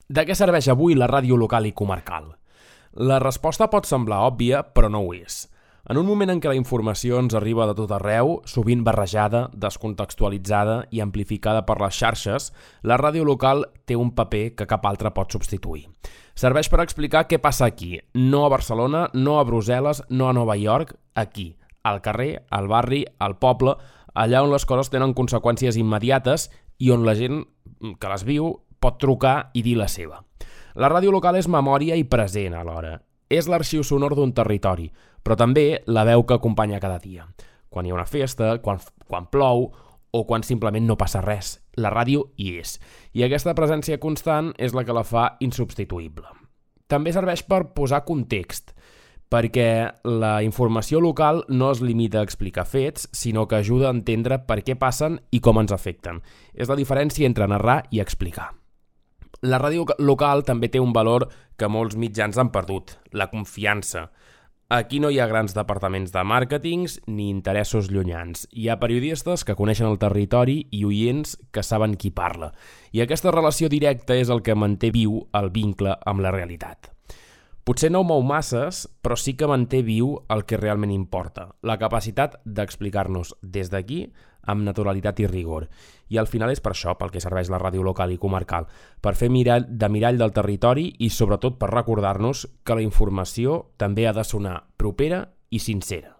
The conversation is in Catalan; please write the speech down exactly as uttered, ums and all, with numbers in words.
De què serveix avui la ràdio local i comarcal? La resposta pot semblar òbvia, però no ho és. En un moment en què la informació ens arriba de tot arreu, sovint barrejada, descontextualitzada i amplificada per les xarxes, la ràdio local té un paper que cap altre pot substituir. Serveix per explicar què passa aquí, no a Barcelona, no a Brussel·les, no a Nova York, aquí, al carrer, al barri, al poble, allà on les coses tenen conseqüències immediates i on la gent que les viu pot trucar i dir la seva. La ràdio local és memòria i present alhora. És l'arxiu sonor d'un territori, però també la veu que acompanya cada dia. Quan hi ha una festa, quan, quan plou o quan simplement no passa res. La ràdio hi és. I aquesta presència constant és la que la fa insubstituïble. També serveix per posar context, perquè la informació local no es limita a explicar fets, sinó que ajuda a entendre per què passen i com ens afecten. És la diferència entre narrar i explicar. La ràdio local també té un valor que molts mitjans han perdut, la confiança. Aquí no hi ha grans departaments de màrquetings ni interessos llunyans. Hi ha periodistes que coneixen el territori i oients que saben qui parla. I aquesta relació directa és el que manté viu el vincle amb la realitat. Potser no mou masses, però sí que manté viu el que realment importa, la capacitat d'explicar-nos des d'aquí amb naturalitat i rigor. I al final és per això pel que serveix la ràdio local i comarcal, per fer mirall de mirall del territori i sobretot per recordar-nos que la informació també ha de sonar propera i sincera.